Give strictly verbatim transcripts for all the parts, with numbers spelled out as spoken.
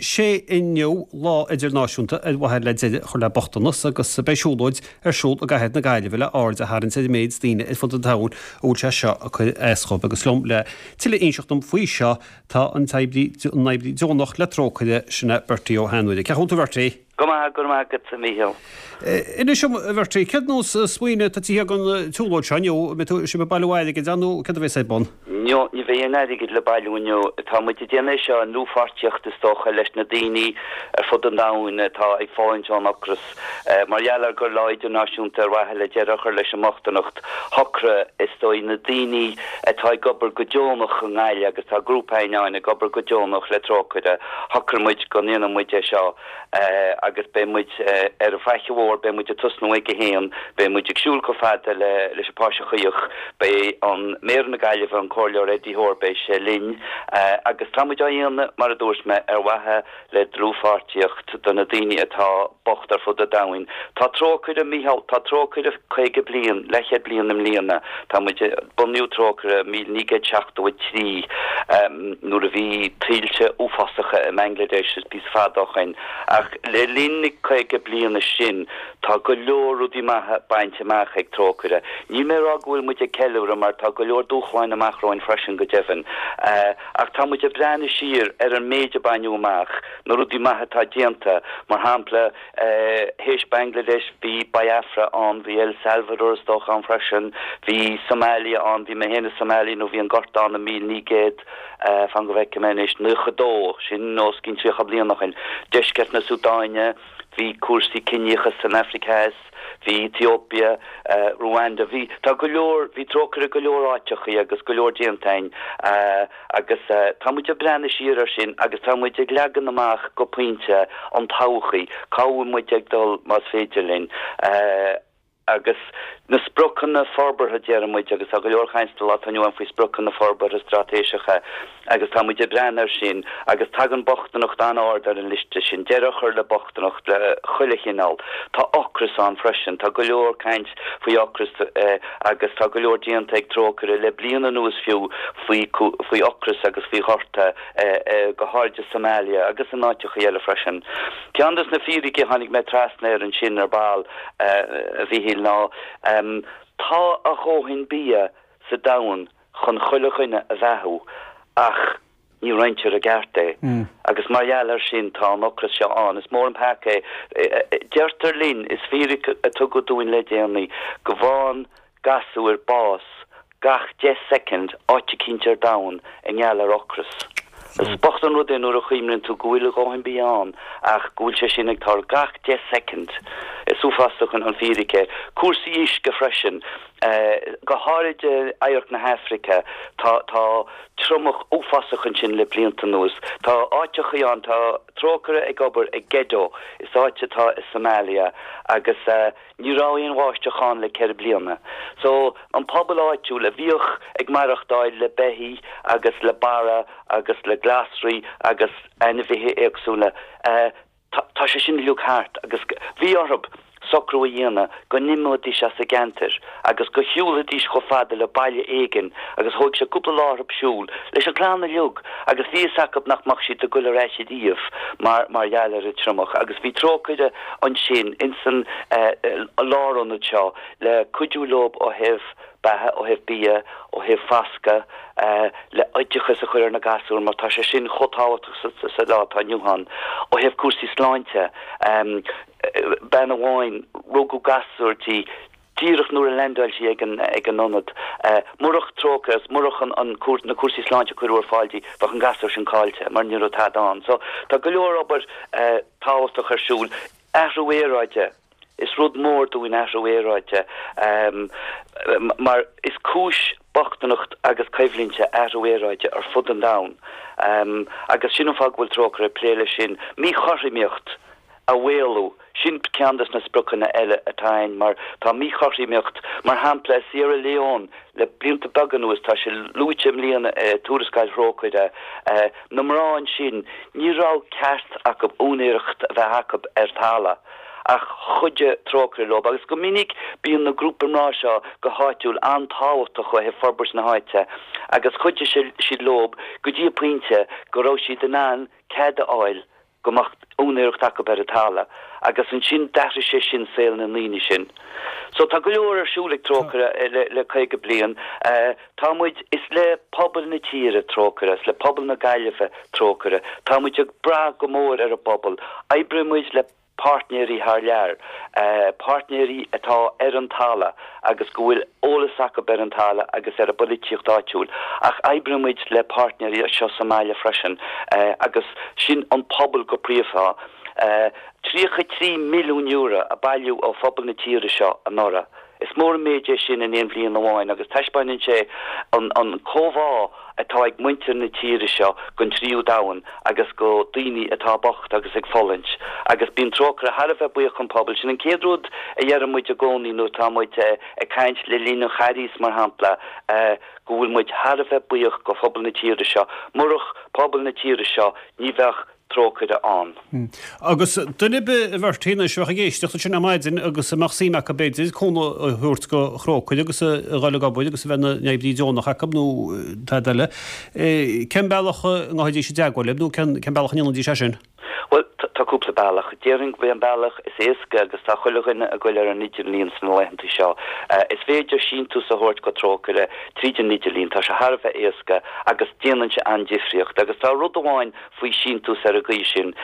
Sé inniu lá idirnáisiúnta ar mhaithe le deireadh a chur le bochtanas agus beidh siúlóid ar siúl i gcathair na Gaillimhe le aird a tharraingt ar an méid daoine ar fud an domhain a bhfuil sé seo ag cur as dóibh agus liom le tuilleadh a inseacht dom faoi seo tá an t-oibrí an oibrí deonach le Trócaire sin é Bertie Ó hAinmhire. Cén chaoi a bhfuil tú Bertie? Go maith go maith agat a Mhíchíl. Inis dom a Bhertie, cén nós smaoineamh atá tagtha don tsiúlóid seo inniu, mbeidh tú sibh ag bailiú airgid ann nó céard a bheas ar bun? Ní ní bheidh aon airgead le bailiú inniu. Tá muid ag déanamh seo i ndlúthpháirtíocht is dócha leis na daoine ar fud an domhain atá ag fulaingt ón ocras. Mar gheall ar gur lá idirnáisiúnta ar mhaithe le deireadh a chur leis an mbochtaineacht shocraigh is dóigh na daoine atá ag obair go deonach i nGaillimh agus tá grúpa againn ag obair go deonach le Trócaire shocraigh muid go ndéanfaidh muid é seo agus beidh muid ar an Faiche Mhór beidh muid ag tosnú ag a haon, beidh muid ag siúl chomh fada le leis an Pháirc Chaoch, beidh an Méara na Gaillimhe an Comhairleoir Eddie Hoare beidh sé linn agus tá muid á dhéanamh mar a dúirt mé ar mhaithe le dlúthpháirtíocht do na daoine atá bocht ar fud an domhain. Tá Trócaire Mícheál tá Trócaire caoga bliain leathchéad bliain i mbliana Tá muid bunaíodh Trócaire míle naoi gcéad seachtó a trí nuair a bhí tuilte uafásacha i mBangladesh is píosa fada ó shin ach le linn na caoga bliana sin tá go leor rudaí maithe bainte amach ag Trócaire. Níl mé rá go bhfuil muid ag ceiliúradh mar tá go leor dúshláin amach romhainn freisin go deimhin. Ach tá muid ag breathnú siar ar an méid a baineadh amach na rudaí maithe atá déanta mar shampla théis Bangladesh bhí Biafra ann, bhí El Salvador is dócha ann freisin, bhí Somalia ann, bhí mé féin i Somalia nuair a bhí an gorta ann i míle naoi gcéad fan go bhfeicfidh mé anois nócha dó sin os cionn tríocha bliain ó shin. Deisceart na Súdáine, bhí cúrsaí ciníochas san Afraic Theas, bhí Ethiopia, Rwanda, bhí tá go leor bhí Trócaire go leor áiteachaí agus go leor déanta againn agus tá muid ag breathnú siar ar sin agus tá muid ag leagan amach go pointe an todhchaí, cá bhfuil muid ag dul más féidir linn. Agus na spriocanna forbartha deir muid agus tá go leor caint sa lá atá inniu ann faoi spriocanna forbartha straitéiseacha agus tá muid ag breathnú air sin agus tagann bochtaineacht an-ard ar an liosta sin, deireadh a chur le bochtaineacht le chuile chineál. Tá ocras ann freisin, tá go leor caint faoi ocras agus tá go leor déanta ag Trócaire le bliain anuas fiú faoi faoi ocras agus faoi ghorta go háirithe i Somalia agus in áiteacha eile freisin. Ceann des na fíricí a tháinig mé trasna air ansin ar ball a Mhíchíl ná um, tá a dhóthain bia sa domhan chun chuile dhuine a bheathú ach ní roinntear i gceart é. Mm. Agus mar gheall air sin tá an ocras seo ann is mór an peaca é. Deirtear linn is fíric a tugadh dúinn le déanaí go bhfaigheann gasúir bás gach deich soicind áit eicínt ar domhan i ngeall ar ocras. Is bocht an rud é nuair a chuimhníonn tú go bhfuil a dhóthain bia ann ach go bhfuil sé sin ag tarlú gach deich soicind. Is uafásach an fíric é. Cúrsaí uisce freisin. Go háirid oirthear na hAfraice tá tá triomach uafásach ansin le blianta anuas. Tá áiteachaí ann tá Trócaire ag obair ag Gedo is áit atá i Somalia agus ní raibh aon bháisteach ann le ceithre bliana. So an pobal áitiúil a bhíodh ag maireachtáil le beithígh agus le barra agus le glasraí agus ainmhithe éagsúla tá sé sin uilig thart agus bhí orthu socrú a dhéanamh go n-imeoidís as an gceantar agus go shiúlfaidís chomh fada le baile éigin agus thóg sé cúpla lá orthu siúl leis an gclann uilig agus bhí fhios acu nach mbeadh siad ag dul ar ais ariamh mar mar gheall ar an triomach agus bhí Trócaire ansin insan lárionad seo le cuidiú leo ó thaobh beatha ó thaobh bia ó thaobh foscadh le oideachas a chur ar na gasúir mar tá sé sin chomh tábhachtach sa lá atá inniu ann ó thaobh cúrsaí sláinte bean amháin rugadh gasúr di díreach nuair a landáil sí ag an ag an ionad. Murach Trócaire murach an an na cúrsaí sláinte cuireadh ar fáil di bheadh an gasúr sin caillte mar ní raibh tada ann. So tá go leor obair tábhachtach ar siúl athrú aeráide. Is rud mór dúinn athrú aeráide um, mar is cúis bochtaineacht agus coimhlinte athrú aeráide ar fud an domhain. Um, agus sin an fáth go bhfuil Trócaire ag plé leis sin míchothromaíocht a mhaolú sin ceann des na spriocanna eile atá ann mar tá míchothromaíocht mar shampla Sierra Leone le blianta beaga anuas tá sé luaite i mbliana uh, tuarascáil Thrócaire uh, na mná sin ní raibh ceart acu úinéireacht a bheith acu ar talamh ach chuidigh Trócaire leo agus go minic bíonn na grúpaí mná seo go háitiúil an-tábhachtach ó thaobh forbairt na háite agus chuidigh siad leo go dtí pointe go raibh siad in ann cead a fháil go mbeadh úinéireacht acu ar an talamh agus ansin d'athraigh sé sin saol na ndaoine sin. So tá go leor ar siúl ag Trócaire le, le caoga bliain. Tá muid, is le pobal na tíre Trócaire, is le pobal na Gaillimhe Trócaire. Tá muid ag brath go mór ar an bpobal. Oibríonn muid le páirtnéirí thar lear, páirtnéirí atá ar an talamh agus go bhfuil eolas acu ar an talamh agus ar an bpolaitíocht áitiúil. Ach oibríonn muid le páirtnéirí anseo sa mbaile freisin agus sin an pobal go príomha. tríocha trí milliún euro a bailíodh ó phobal na tíre seo anuraidh. Is mór an méid é sin in aon bhliain amháin agus taispeánann sé an an comhbhá atá ag muintir na tíre seo don tríú domhan agus go daoine atá bocht agus ag fulaingt. Agus bíonn Trócaire thar a bheith buíoch don phobal. Sin an chéad rud a deireann muid i gcónaí nuair atá muid ag caint le linn an Charghais mar shampla, go bhfuil muid thar a bheith buíoch go phobal na tíre seo. Murach pobal na tíre seo ní bheadh Trócaire ann. Agus duine ar bith a Bhertie anois a bheadh ag éisteacht ansin ar maidin agus a mbeadh suim acu b'fhéidir cúnamh a thabhairt go Thrócaire agus a dhul ag obair agus a bheith ina n-oibrí deonach acu nó tada eile, cén bealach a ngabhfaidís i dteagmháil libh nó cén bealach a ndéanfaidís é sin? Bhuel, tá cúpla bealach. Déarfainn gurb é an bealach is éasca agus tá chuile dhuine ag goil ar an idirlíon sna laethanta seo. Is féidir síntiús a thabhairt go Trócaire tríd an idirlíon, tá sé thar a bheith éasca agus déanann sé an-difríocht. Agus tá rud amháin faoi síntiús ar an gcaoi sin,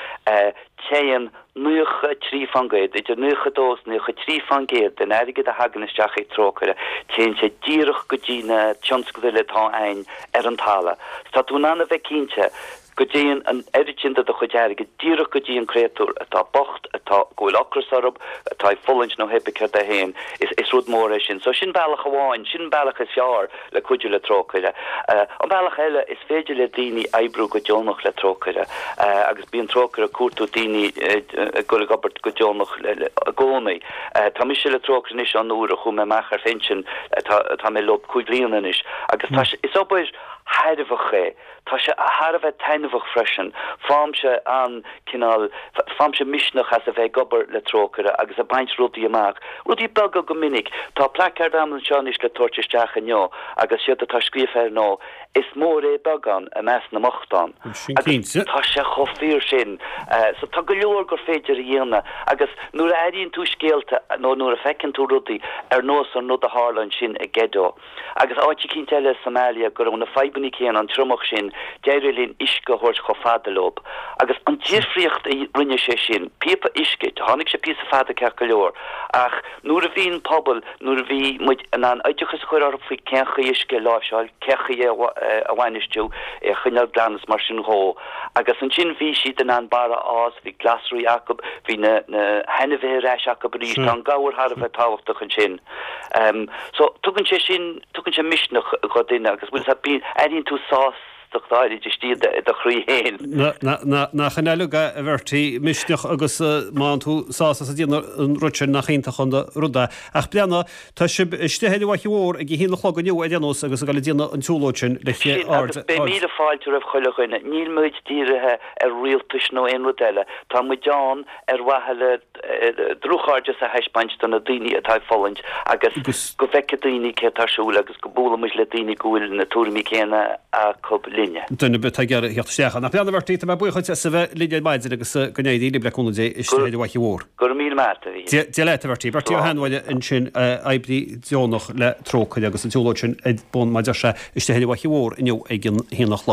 téann naocha trí faoin gcéad, idir naocha dó is naocha trí faoin gcéad den airgead a thagann isteach ag Trócaire, téann sé díreach go dtí na tionscadail atá ann ar an talamh. Tá tú in ann a bheith cinnte go dtéann an oiread sin de do chuid airgid díreach go dtí an créatúr atá bocht, atá, go bhfuil ocras orthu, atá ag fulaingt nó hé bith céard é féin. Is, is rud mór é sin. So sin bealach amháin, sin an bealach is fearr le cuidiú le Trócaire. An bealach eile, is féidir le daoine oibriú go deonach le Trócaire agus bíonn Trócaire ag cuartú daoine ag dul ag obair go deonach i gcónaí. Tá mise le Trócaire anois ón uair a chuaigh mé amach ar phinsean, tá, tá mé leo cúig bliana anois agus tá sé, is obair thairbheach é. Tá sé thar a bheith taitneamhach freisin. Faighimse an cineál, faighimse misneach as a bheith ag obair le Trócaire agus ag baint rudaí amach. Rudaí beaga go minic. Tá placard agam anseo anois le tabhairt isteach inniu agus séard atá scríofa air ná, Is mór é beagán i measc na mbochtán. Sin Agus cinnte. tá sé chomh fíor sin. So tá go leor gur féidir a dhéanamh agus nuair a airíonn tú scéalta nó nuair a feiceann tú rudaí ar nós an rud a tharla ansin i Gedo, Agus áit eicínt eile i Somalia go raibh na fadhbanna céanna, an triomach sin, d'éirigh linn uisce a thabhairt chomh fada leob. Agus an difríocht a rinne sé sin, píopa uisce, tháinig sé píosa fada ceart go leor, ach nuair a bhí an pobal, nuair a bhí muid in ann oideachas a chur orthu faoi cén chaoi uisce a láimhseáil, cén chaoi é a bhainistiú, é a choinneáil glan is mar sin dhó. Agus ansin bhí siad in ann barra a fhás, bhí glasraí acu, bhí na hainmhithe ar ais acu arís, tá an gabhar thar a bheith tábhachtach ansin. So tugann sé sin, tugann sé misneach do dhuine agus bhfuil a fhios agat, airíonn tú sástacht áirid istigh i do chroí féin. Nach in uilig é, a Bhertie, misneach agus má fhaigheann tú sásamh as ag déanamh an rud sin, nach iontach an rud é. Ach breathnaigh, tá sibh istigh ar an bhFaiche Mhór ag a haon a chlog inniu ar aon nós agus ag dul ag déanamh an tsiúlóid sin le Sin, aird, agus beidh aird. míle fáilte roimh chuile dhuine. Níl muid dírithe ar rialtais nó aon rud eile. Tá muid ann ar mhaithe le dlúthchairdeas a thaispeáint do na daoine atá ag fulaingt agus go bhfeicfidh daoine céard atá ar siúl agus go mbuailfidh muid le daoine go bhfuil na tuairimí céanna acu linne. Duine ar bith atá ag iarraidh theacht isteach ann. Ach breathnaigh a Bhertie, tá mé buíoch duit as a bheith linn ar maidin agus go n-éirí libh le cúnamh Dé istigh ar an bhFaiche Mhór. Go raibh míle maith agat, a Mhíchíl. Dia leat, a Bhertie. Bertie Ó Slán. hAinmhaile ansin, oibrí deonach le Trócaire agus an tsiúlóid sin ar bun, mar a deir sé, istigh ar an bhFaiche Mhór inniu ag an haon a chlog.